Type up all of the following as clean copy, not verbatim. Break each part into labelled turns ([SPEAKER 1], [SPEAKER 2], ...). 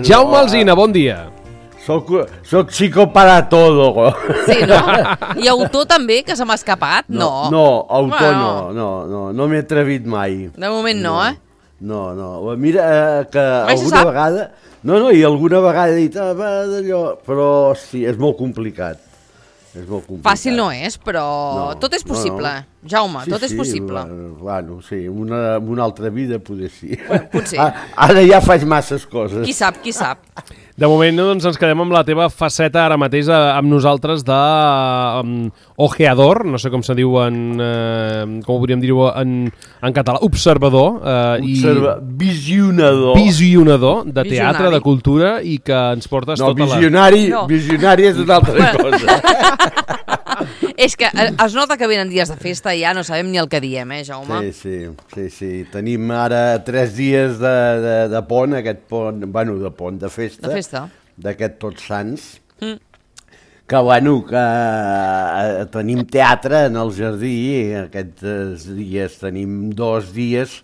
[SPEAKER 1] Jaume Alsina, bon dia.
[SPEAKER 2] Soc chico para todo.
[SPEAKER 3] Sí, no? I autor també, que se m'ha escapat? No.
[SPEAKER 2] No, autor no m'he atrevit mai.
[SPEAKER 3] De moment no, eh?
[SPEAKER 2] No. Mira, que alguna vegada... No, i alguna vegada he dit, d'allò... Però, sí, és molt complicat.
[SPEAKER 3] Fàcil no és, però tot és possible. Jaume, tot és possible.
[SPEAKER 2] Bueno, sí, una altra vida poder sí.
[SPEAKER 3] Potser.
[SPEAKER 2] Ara ja faig masses coses.
[SPEAKER 3] Qui sap.
[SPEAKER 1] De moment doncs, ens quedem amb la teva faceta ara mateix amb nosaltres de ojeador, no sé com se diu com ho podríem dir-ho en català, observador. Visionador de teatre, de cultura, i que ens portes tota la...
[SPEAKER 2] Visionari és una altra cosa.
[SPEAKER 3] És que es nota que venen dies de festa i ja no sabem ni el que diem, Jaume?
[SPEAKER 2] Sí. Tenim ara 3 dies de pont, aquest pont, de pont, de festa. D'aquest Tots Sants. Que tenim teatre en el jardí, aquests dies tenim 2 dies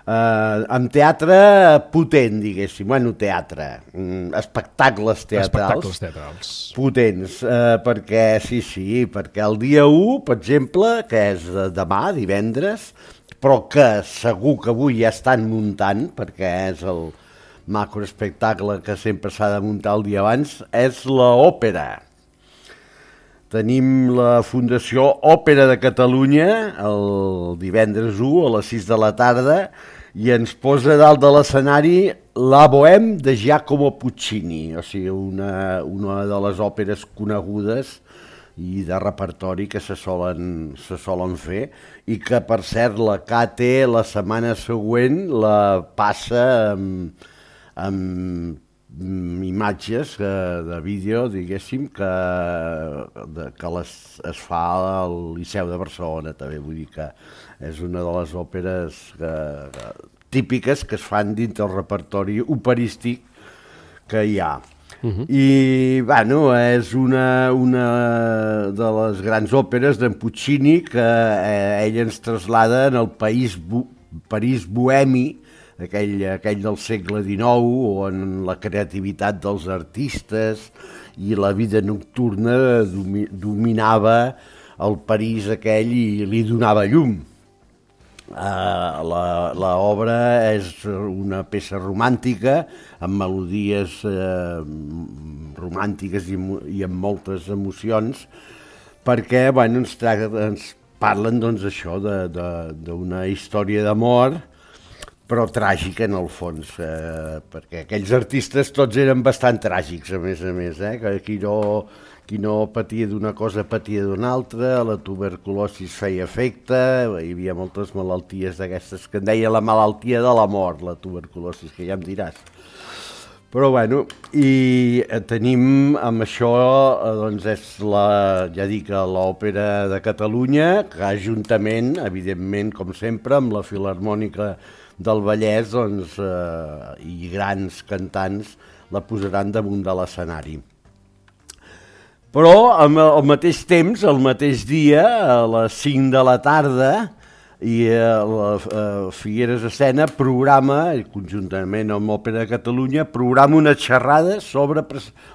[SPEAKER 2] amb teatre potent, diguéssim, teatre, espectacles teatrals potents, perquè perquè el dia 1, per exemple, que és demà, divendres, però que segur que avui ja estan muntant, perquè és el macroespectacle que sempre s'ha de muntar el dia abans, és l'òpera. Tenim la Fundació Òpera de Catalunya el divendres 1 a les 6 de la tarda i ens posa dalt de l'escenari La Bohème de Giacomo Puccini, o sigui, una de les òperes conegudes i de repertori que se solen fer i que, per cert, la KT la setmana següent la passa amb imatges de vídeo, diguéssim, que es fa al Liceu de Barcelona, també. Vull dir que és una de les òperes típiques que es fan dintre el repertori operístic que hi ha. I, és una de les grans òperes d'en Puccini que ell ens traslada en el París bohemi, aquell del segle XIX, on la creativitat dels artistes i la vida nocturna dominava el París aquell i li donava llum. L'obra és una peça romàntica, amb melodies romàntiques i amb moltes emocions, perquè ens parlen això d'una història d'amor, però tràgica en el fons, perquè aquells artistes tots eren bastant tràgics, a més, que qui no patia d'una cosa patia d'una altra, la tuberculosi feia efecte, hi havia moltes malalties d'aquestes, que en deia la malaltia de la mort, la tuberculosi, que ja em diràs. Però i tenim amb això, és l'Òpera de Catalunya, que juntament, evidentment, com sempre, amb la Filharmònica del Vallès, i grans cantants la posaran damunt de l'escenari. Però al mateix temps, al mateix dia, a les 5 de la tarda, i la Figueres Escena programa, conjuntament amb l'Òpera de Catalunya, programa una xerrada sobre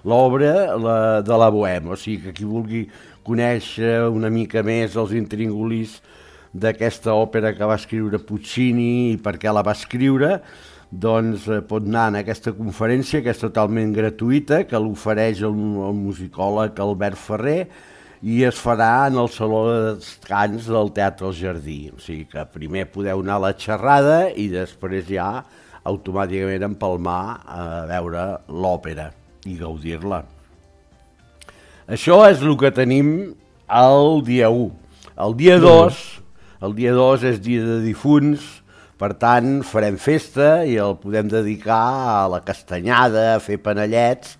[SPEAKER 2] l'obra de la Bohème. O sigui que qui vulgui conèixer una mica més els intríngulis d'aquesta òpera que va escriure Puccini i per què la va escriure, doncs pot anar en aquesta conferència, que és totalment gratuïta, que l'ofereix el musicòleg Albert Ferrer, i es farà en el Saló de Descans del Teatre al Jardí. O sigui que primer podeu anar a la xerrada i després ja automàticament empalmar a veure l'òpera i gaudir-la. Això és el que tenim el dia 1. El dia 2 és dia de difunts, per tant farem festa i el podem dedicar a la castanyada, a fer panellets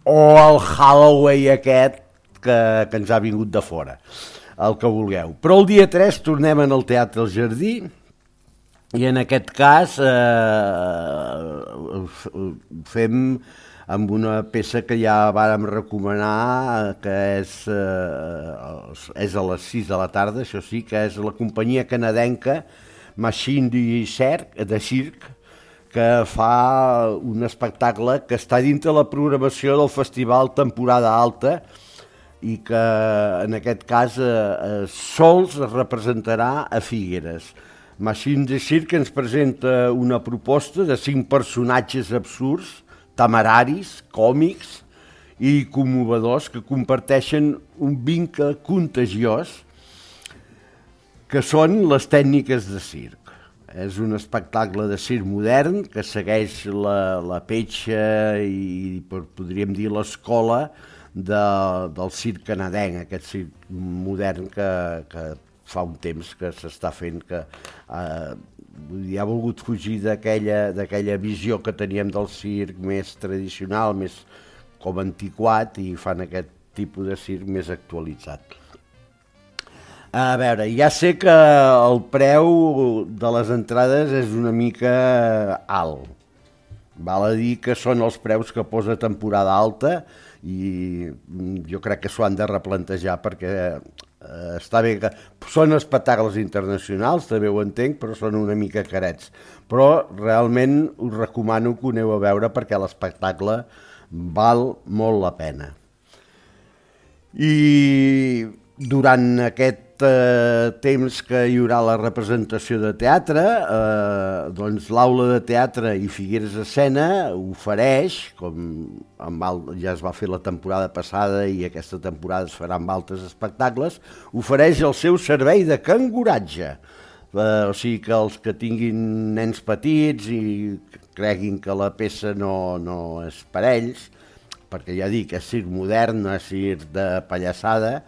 [SPEAKER 2] o al Halloween aquest que ens ha vingut de fora, el que vulgueu. Però el dia 3 tornem al Teatre al Jardí i en aquest cas fem amb una peça que ja vàrem recomanar, que és a les 6 de la tarda, això sí, que és la companyia canadenca Machine de Cirque, que fa un espectacle que està dintre la programació del Festival Temporada Alta i que en aquest cas sols es representarà a Figueres. Machine de Cirque ens presenta una proposta de 5 personatges absurds, temeraris, còmics i commovedors que comparteixen un vincle contagiós que són les tècniques de circ. És un espectacle de circ modern que segueix la petja i podríem dir l'escola del circ canadenc, aquest circ modern que fa un temps que s'està fent, que ha volgut fugir d'aquella visió que teníem del circ més tradicional, més com antiquat, i fan aquest tipus de circ més actualitzat. A veure, ja sé que el preu de les entrades és una mica alt. Val a dir que són els preus que posa Temporada Alta i jo crec que s'ho han de replantejar perquè està bé que són espectacles internacionals, també ho entenc, però són una mica carets. Però realment us recomano que ho aneu a veure perquè l'espectacle val molt la pena. I durant aquest temps que hi haurà la representació de teatre, doncs l'Aula de Teatre i Figueres Escena ofereix, com ja es va fer la temporada passada i aquesta temporada es farà amb altres espectacles, ofereix el seu servei de canguratge. O sigui que els que tinguin nens petits i creguin que la peça no és per ells, perquè ja dic, és circ modern, no és circ de pallassada,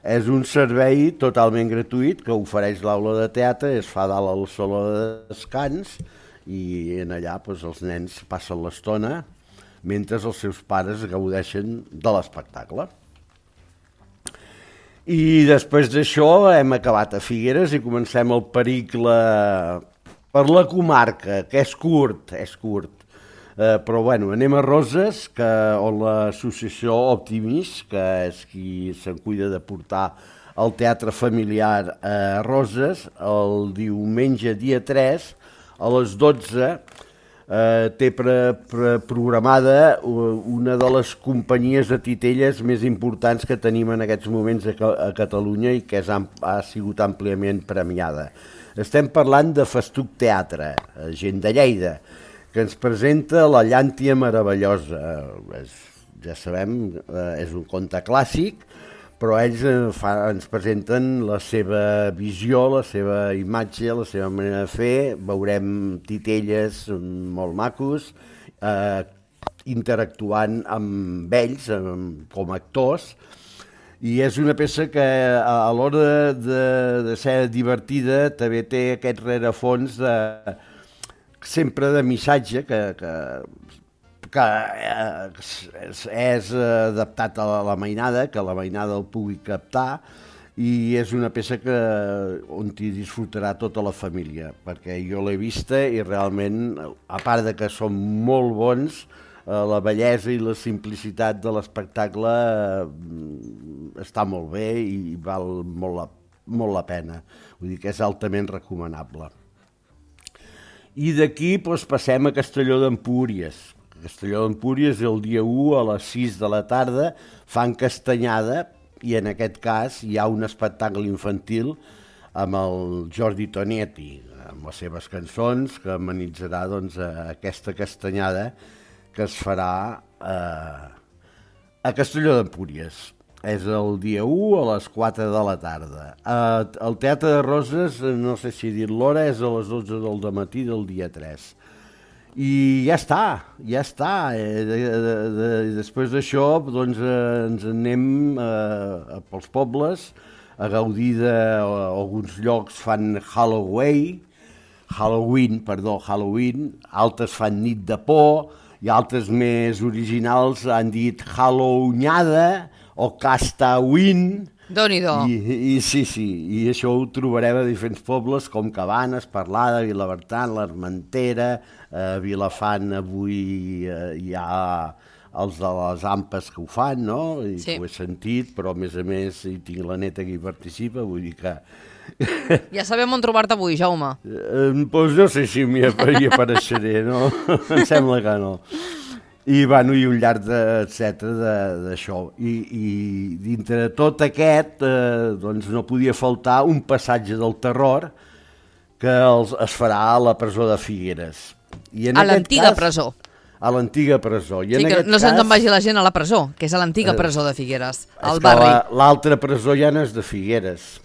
[SPEAKER 2] és un servei totalment gratuït que ofereix l'Aula de Teatre, es fa dalt al saló de descans i en allà els nens passen l'estona mentre els seus pares gaudeixen de l'espectacle. I després d'això hem acabat a Figueres i comencem el pericle per la comarca, que és curt. Però bueno, anem a Roses, on l'associació Optimist, que és qui se'n cuida de portar el teatre familiar a Roses, el diumenge dia 3 a les 12 té programada una de les companyies de titelles més importants que tenim en aquests moments a Catalunya i que ha sigut àmpliament premiada. Estem parlant de Festuc Teatre, gent de Lleida, que ens presenta La llàntia meravellosa. Ja sabem, és un conte clàssic, però ells ens presenten la seva visió, la seva imatge, la seva manera de fer. Veurem titelles molt macos, interactuant amb ells com a actors, i és una peça que a l'hora de ser divertida també té aquest rerefons sempre de missatge que és adaptat a la mainada, que la mainada el pugui captar, i és una peça on hi disfrutarà tota la família, perquè jo l'he vista i realment, a part de que són molt bons, la bellesa i la simplicitat de l'espectacle està molt bé i val molt la pena. Vull dir que és altament recomanable. I d'aquí passem a Castelló d'Empúries. A Castelló d'Empúries el dia 1 a les 6 de la tarda fan castanyada i en aquest cas hi ha un espectacle infantil amb el Jordi Tonietti, amb les seves cançons, que amenitzarà aquesta castanyada que es farà a Castelló d'Empúries. És el dia 1 a les 4 de la tarda. El Teatre de Roses, no sé si dir l'hora, és a les 12 del matí del dia 3. I ja està. Després d'això ens anem pels pobles a gaudir d'alguns llocs fan Halloween, altres fan nit de por i altres més originals han dit Halloweenada o Castawin.
[SPEAKER 3] Déu-n'hi-do.
[SPEAKER 2] I això ho trobarem a diferents pobles com Cabanes, Parlada, Vilabertran, l'Armentera, Vilafant avui hi ha els de les AMPAs que ho fan, no? I
[SPEAKER 3] Sí.
[SPEAKER 2] que ho he sentit, però a més hi tinc la neta que hi participa, vull dir que...
[SPEAKER 3] Ja sabem on trobar-te avui, Jaume.
[SPEAKER 2] Doncs no sé si hi apareixeré, no? Em sembla que no. I, bueno, i un llarg d'això. I dintre de tot aquest, doncs no podia faltar un passatge del terror que es farà a la presó de Figueres. I en
[SPEAKER 3] A
[SPEAKER 2] aquest
[SPEAKER 3] l'antiga
[SPEAKER 2] cas,
[SPEAKER 3] presó.
[SPEAKER 2] A l'antiga presó. I
[SPEAKER 3] Sí,
[SPEAKER 2] en
[SPEAKER 3] que
[SPEAKER 2] aquest
[SPEAKER 3] no se'ns
[SPEAKER 2] cas,
[SPEAKER 3] en vagi la gent a la presó, que és a l'antiga presó de Figueres, al
[SPEAKER 2] és que
[SPEAKER 3] barri.
[SPEAKER 2] l'altra presó ja no és de Figueres.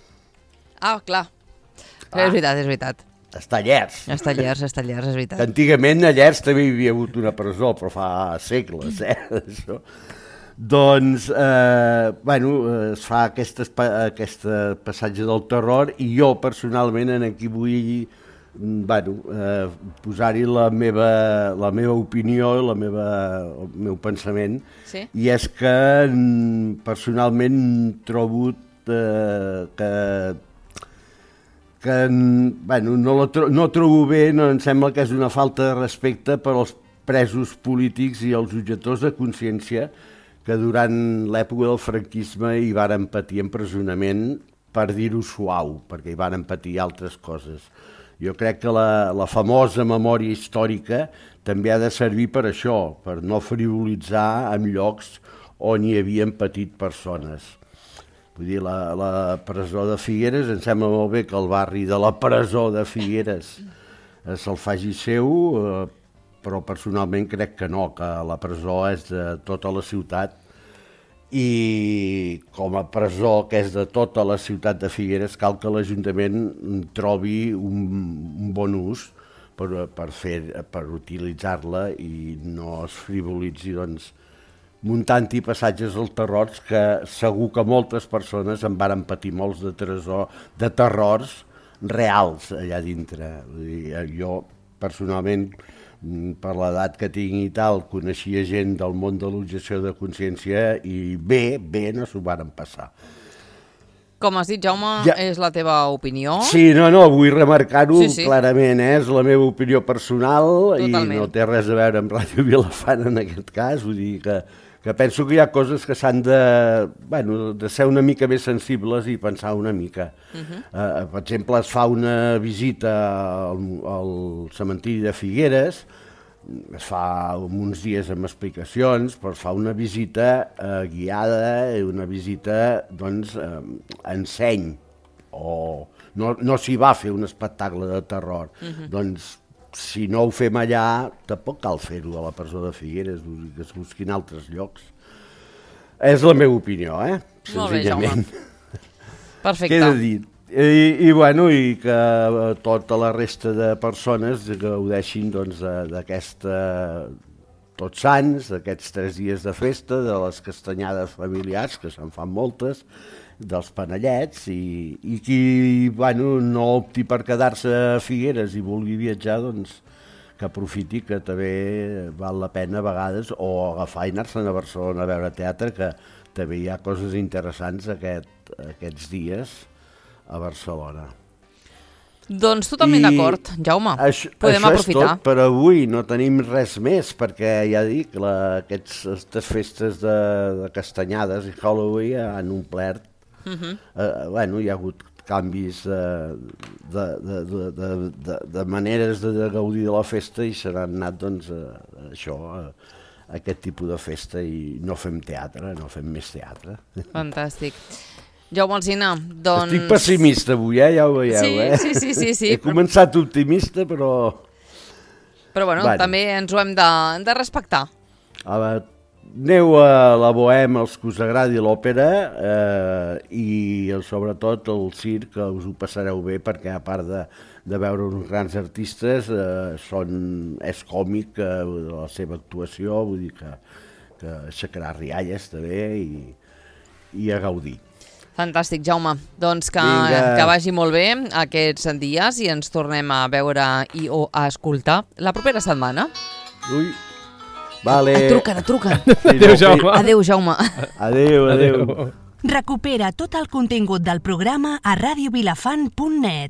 [SPEAKER 3] Ah, clar. És veritat, és veritat.
[SPEAKER 2] Està a Llers.
[SPEAKER 3] Està a Llers, és
[SPEAKER 2] Que
[SPEAKER 3] veritat.
[SPEAKER 2] antigament a Llers també hi havia hagut una presó, però fa segles, això. Doncs, es fa aquest passatge del terror i jo personalment aquí vull posar-hi la meva opinió, el meu pensament,
[SPEAKER 3] Sí?
[SPEAKER 2] i és que personalment trobo no trobo bé, no em sembla que és una falta de respecte per als presos polítics i els objectors de consciència que durant l'època del franquisme hi varen patir empresonament, per dir-ho suau, perquè hi varen patir altres coses. Jo crec que la famosa memòria històrica també ha de servir per això, per no frivolitzar en llocs on hi havien patit persones. Vull dir, la presó de Figueres, em sembla molt bé que el barri de la presó de Figueres se'l faci seu, però personalment crec que no, que la presó és de tota la ciutat i com a presó que és de tota la ciutat de Figueres cal que l'Ajuntament trobi un bon ús per utilitzar-la i no es frivolitzi muntant-hi passatges al terror que segur que moltes persones en varen patir molts de terrors reals allà dintre. Jo personalment, per l'edat que tinc i tal, coneixia gent del món de l'objecció de consciència i bé no s'ho varen passar.
[SPEAKER 3] Com has dit, Jaume, és la teva opinió.
[SPEAKER 2] Sí, no, vull remarcar-ho
[SPEAKER 3] Sí.
[SPEAKER 2] clarament, és la meva opinió personal.
[SPEAKER 3] Totalment.
[SPEAKER 2] I no té res a veure amb Ràdio Vilafant en aquest cas, vull dir que penso que hi ha coses que s'han de ser una mica més sensibles i pensar una mica. Per exemple, es fa una visita al cementiri de Figueres, es fa uns dies amb explicacions, però es fa una visita guiada, una visita, en seny, o no s'hi va fer un espectacle de terror. Doncs, si no ho fem allà, tampoc cal fer-ho a la presó de Figueres, que es busquin altres llocs. És la meva opinió,
[SPEAKER 3] Molt bé, Jaume.
[SPEAKER 2] senzillament.
[SPEAKER 3] Perfecte.
[SPEAKER 2] Queda dit. I que tota la resta de persones gaudeixin d'aquesta Tots Sants, d'aquests 3 dies de festa, de les castanyades familiars, que se'n fan moltes, dels panellets, i qui no opti per quedar-se a Figueres i vulgui viatjar, que aprofiti, que també val la pena a vegades, o agafar i anar-se'n a Barcelona a veure teatre, que també hi ha coses interessants aquests dies a Barcelona.
[SPEAKER 3] Doncs totalment d'acord, Jaume. Podem aprofitar.
[SPEAKER 2] Això és tot per avui, no tenim res més, perquè ja dic, aquestes festes de castanyades i Halloween han omplert. Hi ha hagut canvis de maneres de gaudir de la festa i se n'han anat a aquest tipus de festa i no fem teatre, no fem més teatre.
[SPEAKER 3] Fantàstic. Jaume Alsina, doncs...
[SPEAKER 2] Estic pessimista avui, ja ho veieu,
[SPEAKER 3] Sí.
[SPEAKER 2] He començat optimista, però...
[SPEAKER 3] Però també ens ho hem de respectar.
[SPEAKER 2] Aneu a la Bohème, els que us agradi l'òpera, i sobretot el circ, que us ho passareu bé, perquè a part de veure uns grans artistes, és còmic la seva actuació, vull dir que aixecarà rialles també i a gaudir.
[SPEAKER 3] Fantàstic, Jaume. Doncs que vagi molt bé aquests dies i ens tornem a veure i a escoltar la propera setmana.
[SPEAKER 2] Ui, vale.
[SPEAKER 3] Et truquen.
[SPEAKER 1] Adéu, Jaume.
[SPEAKER 3] Adéu, Jaume.
[SPEAKER 2] Adéu.
[SPEAKER 4] Recupera tot el contingut del programa a radiovilafant.net.